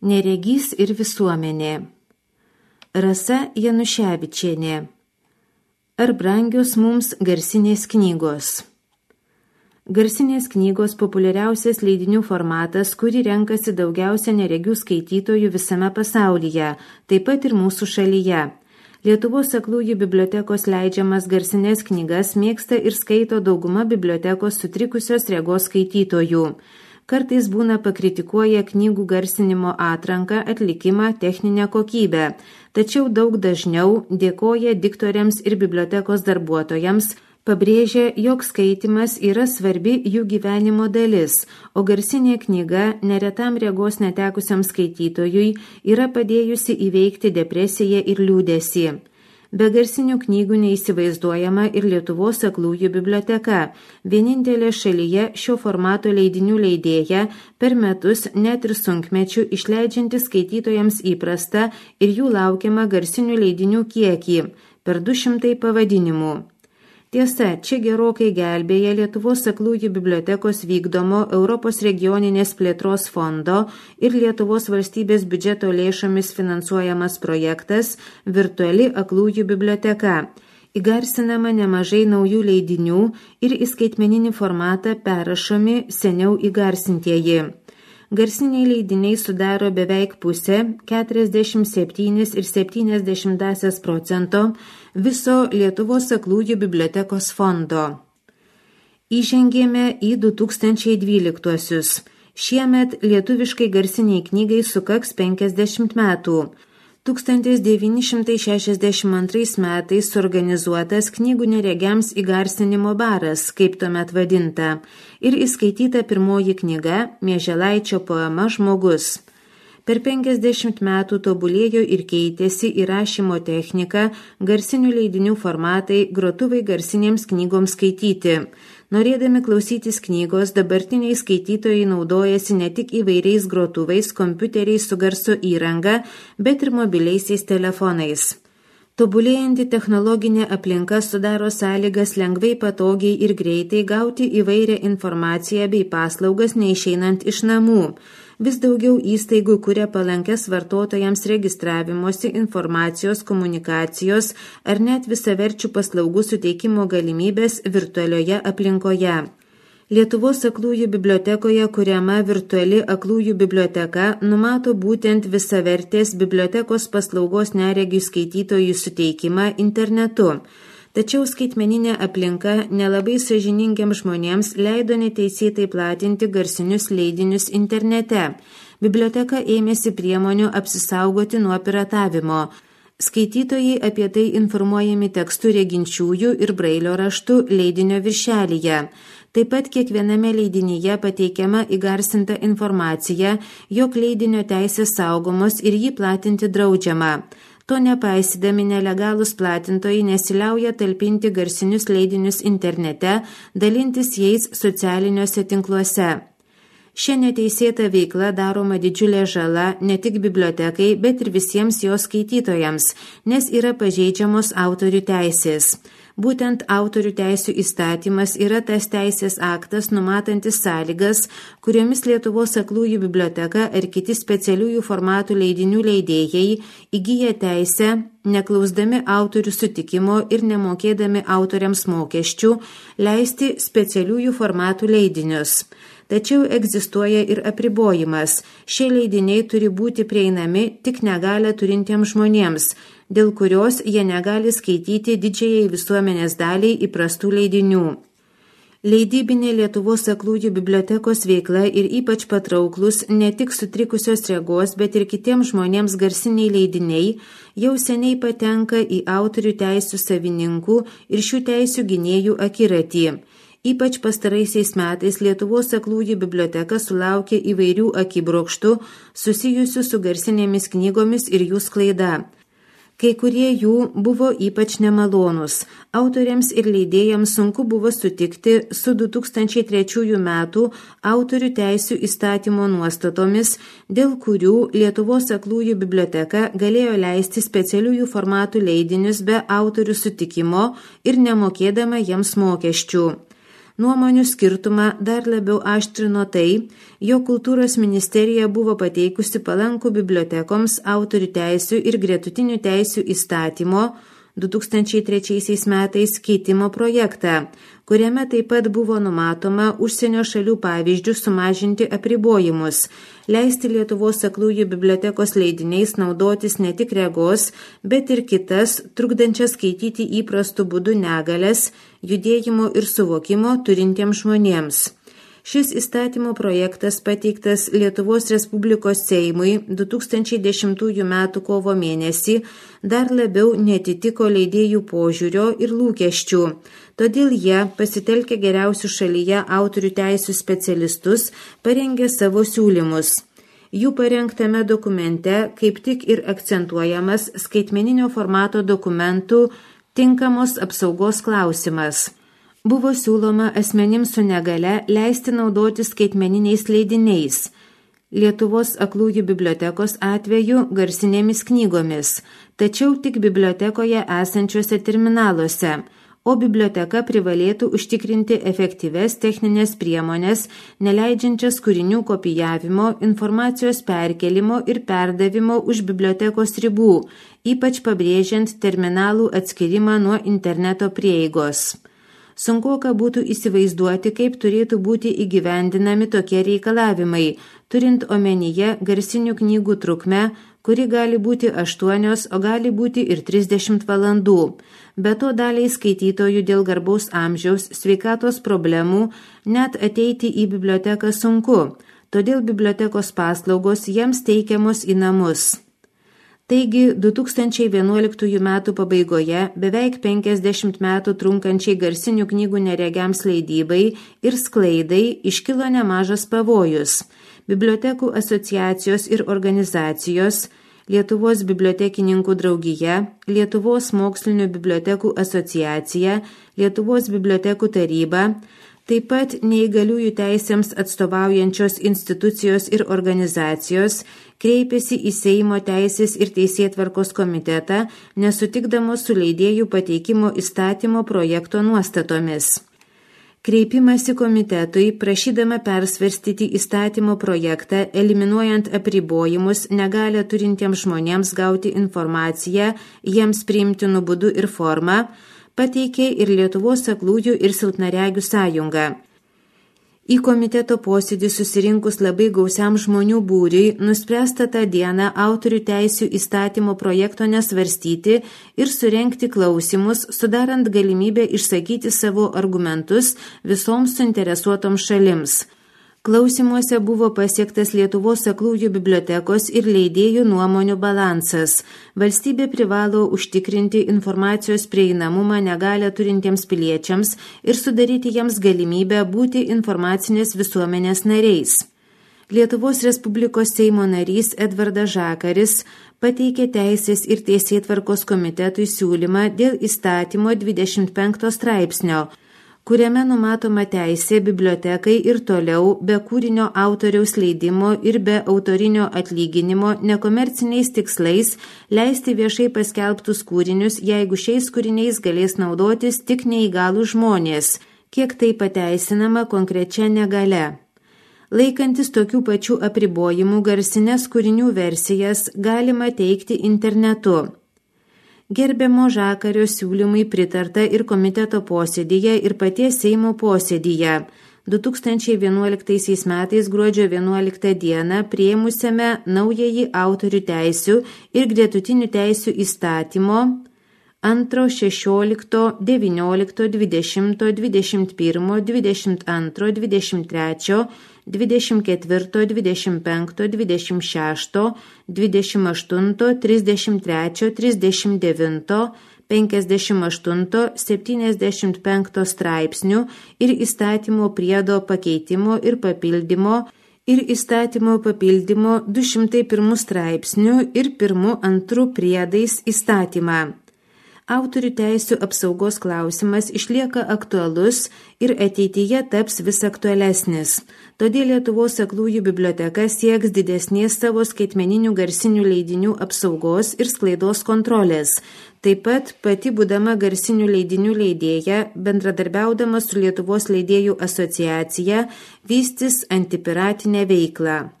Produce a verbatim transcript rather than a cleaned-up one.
Neregys ir visuomenė. Rasa Januševičienė. Ar brangios mums garsinės knygos? Garsinės knygos populiariausias leidinių formatas, kurį renkasi daugiausia neregių skaitytojų visame pasaulyje, taip pat ir mūsų šalyje. Lietuvos aklųjų bibliotekos leidžiamas garsinės knygas mėgsta ir skaito dauguma bibliotekos sutrikusios regos skaitytojų. Kartais būna pakritikuoja knygų garsinimo atranką, atlikimą, techninę kokybę, tačiau daug dažniau dėkoja diktoriams ir bibliotekos darbuotojams, pabrėžia, jog skaitimas yra svarbi jų gyvenimo dalis, o garsinė knyga neretam regos netekusiam skaitytojui yra padėjusi įveikti depresiją ir liūdesį. Be garsinių knygų neįsivaizduojama ir Lietuvos aklųjų biblioteka, vienintelė šalyje šio formato leidinių leidėja, per metus net ir sunkmečių išleidžianti skaitytojams įprastą ir jų laukiamą garsinių leidinių kiekį – per du šimtai pavadinimų. Tiesa, čia gerokai gelbėja Lietuvos aklųjų bibliotekos vykdomo Europos regioninės plėtros fondo ir Lietuvos valstybės biudžeto lėšomis finansuojamas projektas Virtuali aklųjų biblioteka. Įgarsinama nemažai naujų leidinių ir į skaitmeninį formatą perrašomi seniau įgarsintieji. Garsiniai leidiniai sudaro beveik pusę, keturiasdešimt septyni ir septynios dešimtosios procento viso Lietuvos aklųjų bibliotekos fondo. Įžengėme į du tūkstančiai dvyliktuosius. Šiemet lietuviškai garsiniai knygai sukaks penkiasdešimt metų. tūkstantis devyni šimtai šešiasdešimt antrais metais suorganizuotas knygų neregiams įgarsinimo baras, kaip tuomet vadinta, ir įskaityta pirmoji knyga Mieželaičio poema Žmogus. Per penkiasdešimt metų tobulėjo ir keitėsi įrašymo technika, garsinių leidinių formatai, grotuvai garsinėms knygoms skaityti. Norėdami klausytis knygos, dabartiniai skaitytojai naudojasi ne tik įvairiais grotuvais, kompiuteriais su garso įranga, bet ir mobiliaisiais telefonais. Tobulėjanti technologinė aplinka sudaro sąlygas lengvai, patogiai ir greitai gauti įvairią informaciją bei paslaugas neišeinant iš namų. Vis daugiau įstaigų kuria palankes vartotojams registravimosi, informacijos, komunikacijos ar net visaverčių paslaugų suteikimo galimybės virtualioje aplinkoje. Lietuvos aklųjų bibliotekoje kuriama virtuali aklųjų biblioteka numato būtent visavertės bibliotekos paslaugos neregių skaitytojų suteikimą internetu. Tačiau skaitmeninė aplinka nelabai sąžiningiams žmonėms leido neteisėtai platinti garsinius leidinius internete. Biblioteka ėmėsi priemonių apsisaugoti nuo piratavimo. Skaitytojai apie tai informuojami tekstu reginčiųjų ir brailio raštu leidinio viršelyje. Taip pat kiekviename leidinyje pateikiama įgarsinta informacija, jog leidinio teisės saugomos ir jį platinti draudžiama. To nepaisydami nelegalūs platintojai nesiliauja talpinti garsinius leidinius internete, dalintis jais socialiniuose tinkluose. Šia neteisėta veikla daroma didžiulė žala ne tik bibliotekai, bet ir visiems jos skaitytojams, nes yra pažeidžiamos autorių teisės. Būtent autorių teisių įstatymas yra tas teisės aktas numatantis sąlygas, kuriomis Lietuvos aklųjų biblioteka ar kiti specialiųjų formatų leidinių leidėjai įgyja teisę, neklausdami autorių sutikimo ir nemokėdami autoriams mokesčių, leisti specialiųjų formatų leidinius. Tačiau egzistuoja ir apribojimas. Šie leidiniai turi būti prieinami tik negalią turintiems žmonėms, dėl kurios jie negali skaityti didžiajai visuomenės daliai įprastų leidinių. Leidybinė Lietuvos aklųjų bibliotekos veikla ir ypač patrauklus ne tik sutrikusios regos, bet ir kitiems žmonėms garsiniai leidiniai jau seniai patenka į autorių teisių savininkų ir šių teisių gynėjų akiratį. Ypač pastaraisiais metais Lietuvos aklųjų biblioteka sulaukė įvairių akibrokštų susijusių su garsinėmis knygomis ir jų sklaida. Kai kurie jų buvo ypač nemalonus. Autoriams ir leidėjams sunku buvo sutikti su du tūkstančiai trečiųjų metų autorių teisių įstatymo nuostatomis, dėl kurių Lietuvos aklųjų biblioteka galėjo leisti specialiųjų formatų leidinius be autorių sutikimo ir nemokėdama jiems mokesčių. Nuomonių skirtumą dar labiau aštrino tai, jog Kultūros ministerija buvo pateikusi palankų bibliotekoms autorių teisių ir gretutinių teisių įstatymo du tūkstančiai trečiaisiais metais keitimo projektą, kuriame taip pat buvo numatoma užsienio šalių pavyzdžių sumažinti apribojimus, leisti Lietuvos aklųjų bibliotekos leidiniais naudotis ne tik regos, bet ir kitas, trukdančias skaityti įprastų būdų negalias, judėjimo ir suvokimo turintiems žmonėms. Šis įstatymo projektas pateiktas Lietuvos Respublikos Seimui du tūkstančiai dešimtųjų metų kovo mėnesį dar labiau netitiko leidėjų požiūrio ir lūkesčių. Todėl jie, pasitelkę geriausių šalyje autorių teisių specialistus, parengė savo siūlymus. Jų parengtame dokumente kaip tik ir akcentuojamas skaitmeninio formato dokumentų tinkamos apsaugos klausimas. Buvo siūloma asmenims su negale leisti naudoti skaitmeniniais leidiniais. Lietuvos aklųjų bibliotekos atveju garsinėmis knygomis, tačiau tik bibliotekoje esančiuose terminaluose, o biblioteka privalėtų užtikrinti efektyves techninės priemonės, neleidžiančias kūrinių kopijavimo, informacijos perkelimo ir perdavimo už bibliotekos ribų, ypač pabrėžiant terminalų atskirimą nuo interneto prieigos. Sunkoka būtų įsivaizduoti, kaip turėtų būti įgyvendinami tokie reikalavimai, turint omenyje garsinių knygų trukmę, kuri gali būti aštuonios, o gali būti ir trisdešimt valandų. Be to daliai skaitytojų dėl garbaus amžiaus, sveikatos problemų net ateiti į biblioteką sunku, todėl bibliotekos paslaugos jiems teikiamos į namus. Taigi, du tūkstančiai vienuoliktųjų metų pabaigoje beveik penkiasdešimt metų trunkančiai garsinių knygų neregiams leidybai ir sklaidai iškilo nemažas pavojus. Bibliotekų asociacijos ir organizacijos, Lietuvos bibliotekininkų draugija, Lietuvos mokslinių bibliotekų asociacija, Lietuvos bibliotekų taryba, taip pat neįgaliųjų teisėms atstovaujančios institucijos ir organizacijos kreipėsi į Seimo teisės ir teisėtvarkos komitetą, nesutikdamos su leidėjų pateikimo įstatymo projekto nuostatomis. Kreipimasi komitetui, prašydama persvarstyti įstatymo projektą, eliminuojant apribojimus negalią turintiems žmonėms gauti informaciją, jiems priimtinų būdų ir formą, pateikė ir Lietuvos aklųjų ir silpnaregių sąjunga. Į komiteto posėdį susirinkus labai gausiam žmonių būriui, nuspręsta tą dieną autorių teisių įstatymo projekto nesvarstyti ir surengti klausimus, sudarant galimybę išsakyti savo argumentus visoms suinteresuotoms šalims. Klausimuose buvo pasiektas Lietuvos aklųjų bibliotekos ir leidėjų nuomonių balansas. Valstybė privalo užtikrinti informacijos prieinamumą negalią turintiems piliečiams ir sudaryti jiems galimybę būti informacinės visuomenės nariais. Lietuvos Respublikos Seimo narys Edvardas Žakaris pateikė Teisės ir teisėtvarkos komitetui siūlymą dėl įstatymo dvidešimt penkto straipsnio, kuriame numatoma teisė bibliotekai ir toliau be kūrinio autoriaus leidimo ir be autorinio atlyginimo nekomerciniais tikslais leisti viešai paskelbtus kūrinius, jeigu šiais kūriniais galės naudotis tik neįgalų žmonės, kiek tai pateisinama konkrečia negale. Laikantis tokių pačių apribojimų garsines kūrinių versijas galima teikti internetu. Gerbiamo Žakario siūlymai pritarta ir komiteto posėdyje ir paties Seimo posėdyje. du tūkstančiai vienuoliktaisiais metais gruodžio vienuoliktą dieną priėmusiame naująjį autorių teisių ir gretutinių teisių įstatymo antro, šešiolikto, devyniolikto, dvidešimto, dvidešimt pirmo, dvidešimt antro, dvidešimt trečio, dvidešimt ketvirto, dvidešimt penkto, dvidešimt šešto, dvidešimt aštunto, trisdešimt trečio, trisdešimt devinto, penkiasdešimt aštunto, septyniasdešimt penkto straipsnių ir įstatymo priedo pakeitimo ir papildymo ir įstatymo papildymo du šimtai pirmu straipsniu ir pirmu antru priedais įstatymą. autorių teisių apsaugos klausimas išlieka aktualus ir ateityje taps vis aktualesnis. Todėl Lietuvos aklųjų biblioteka sieks didesnės savo skaitmeninių garsinių leidinių apsaugos ir sklaidos kontrolės. Taip pat pati būdama garsinių leidinių leidėja, bendradarbiaudama su Lietuvos leidėjų asociacija, vystys antipiratinę veiklą.